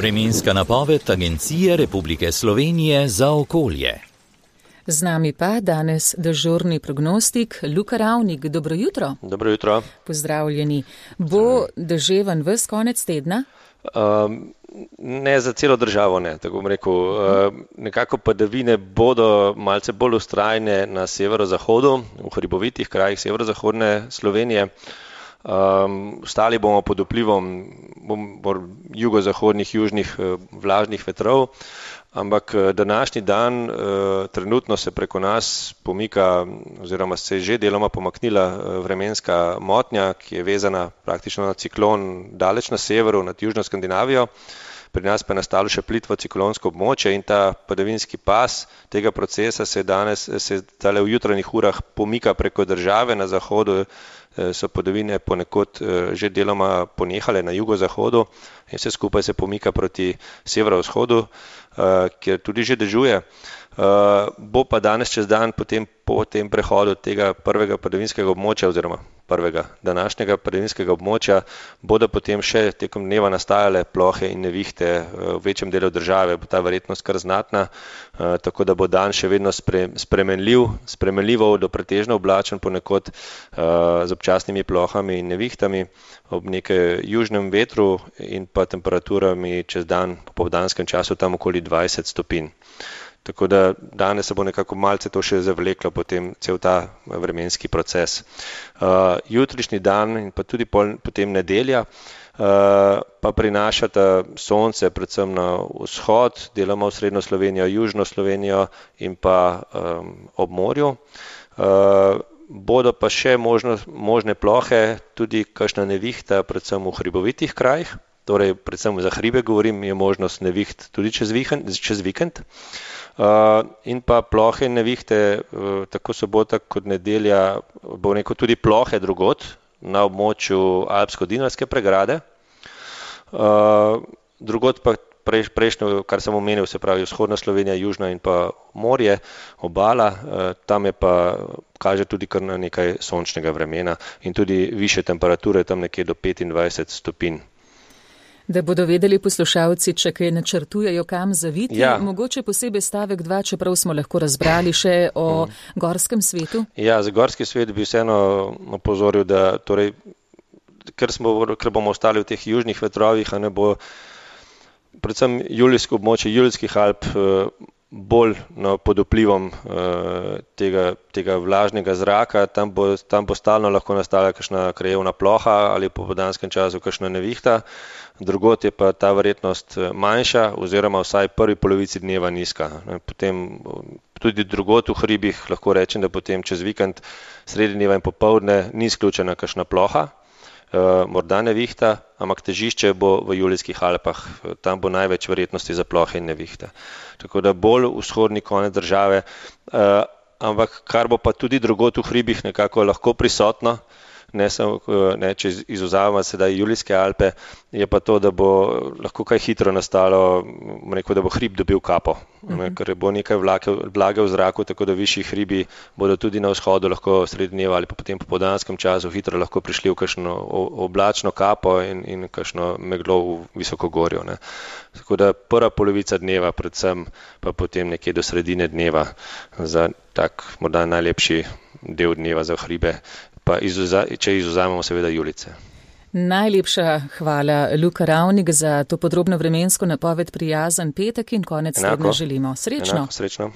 Vremenska napoved Agencije Republike Slovenije za okolje. Z nami pa danes dežurni prognostik Luka Ravnik. Dobro jutro. Dobro jutro. Pozdravljeni. Bo deževen ves konec tedna? Ne za celo državo, ne, tako bom rekel. Nekako padavine bodo malce bolj vztrajne na severozahodu, v hribovitih krajih severozahodne Slovenije. Ostali bomo pod vplivom jugozahodnih, južnih vlažnih vetrov, ampak današnji dan trenutno se preko nas pomika oziroma se je že deloma pomaknila vremenska motnja, ki je vezana praktično na ciklon daleč na severu, nad južno Skandinavijo. Pri nas pa je nastalo še plitvo ciklonsko območje in ta padavinski pas tega procesa se tale v jutranjih urah pomika preko države. Na zahodu so padavine ponekod že deloma ponehale na jugozahodu in vse skupaj se pomika proti severovzhodu, kjer tudi že dežuje. Bo pa danes čez dan po tem prehodu tega prvega padavinskega območja oziroma prvega današnjega padavinskega območja bodo potem še tekom dneva nastajale plohe in nevihte v večjem delu države, bo ta verjetnost kar znatna, tako da bo dan še vedno spremenljivo do pretežno oblačen, ponekod z občasnimi plohami in nevihtami ob nekaj južnem vetru in pa temperaturami čez dan po popoldanskem času tam okoli 20 stopinj. Tako da danes se bo nekako malce to še zavleklo potem cel ta vremenski proces. Jutrišnji dan in pa tudi potem nedelja pa prinašata sonce predvsem na vzhod, deloma v srednjo Slovenijo, južno Slovenijo in pa ob morju. Bodo pa še možne plohe, tudi kakšna nevihta, predvsem v hribovitih krajih, torej predvsem za hribe govorim, je možnost neviht tudi čez vikend. In pa plohe in nevihte, tako sobota kot nedelja, bo neko tudi plohe drugod na območju Alpsko-Dinarske pregrade. Drugod pa prejšnjo, kar sem omenil, se pravi vzhodna Slovenija, južna in pa morje, obala, tam je pa kaže tudi kar na nekaj sončnega vremena in tudi višje temperature, tam nekje do 25 stopinj. Da bodo vedeli poslušalci, če kaj načrtujejo kam zaviti, mogoče posebej stavek 2, čeprav smo lahko razbrali še o gorskem svetu. Ja, za gorski svet bi vseeno opozoril, da torej, ker bomo ostali v teh južnih vetrovih, a ne bo predvsem julijsko območje Julijskih Alp bolj pod vplivom tega vlažnega zraka, tam bo stalno lahko nastala kakšna krajevna ploha ali po popoldanskem času kakšna nevihta. Drugod je pa ta verjetnost manjša oziroma vsaj prvi polovici dneva nizka. Potem tudi drugod v hribih lahko rečem, da potem čez vikend sredi dneva in popoldne ni izključena kakšna ploha, morda nevihta, ampak težišče bo v Julijskih Alpah, tam bo največ verjetnosti za plohe in nevihte. Tako da bolj vzhodni konec države, ampak kar bo pa tudi drugod v hribih nekako lahko prisotno, če izvzamemo sedaj Julijske Alpe, je pa to, da bo lahko kaj hitro nastalo, da bo hrib dobil kapo, ker bo nekaj vlage v zraku, tako da višji hribi bodo tudi na vzhodu lahko sredi dneva ali pa potem po popoldanskem času hitro lahko prišli v kakšno oblačno kapo in kakšno meglo v visokogorju. Tako da prva polovica dneva, predvsem pa potem nekje do sredine dneva za tak morda najlepši del dneva za hribe, pa če izvzamemo seveda Julice. Najlepša hvala, Luka Ravnik, za to podrobno vremensko napoved. Prijazen petek in konec tedna želimo. Srečno. Srečno.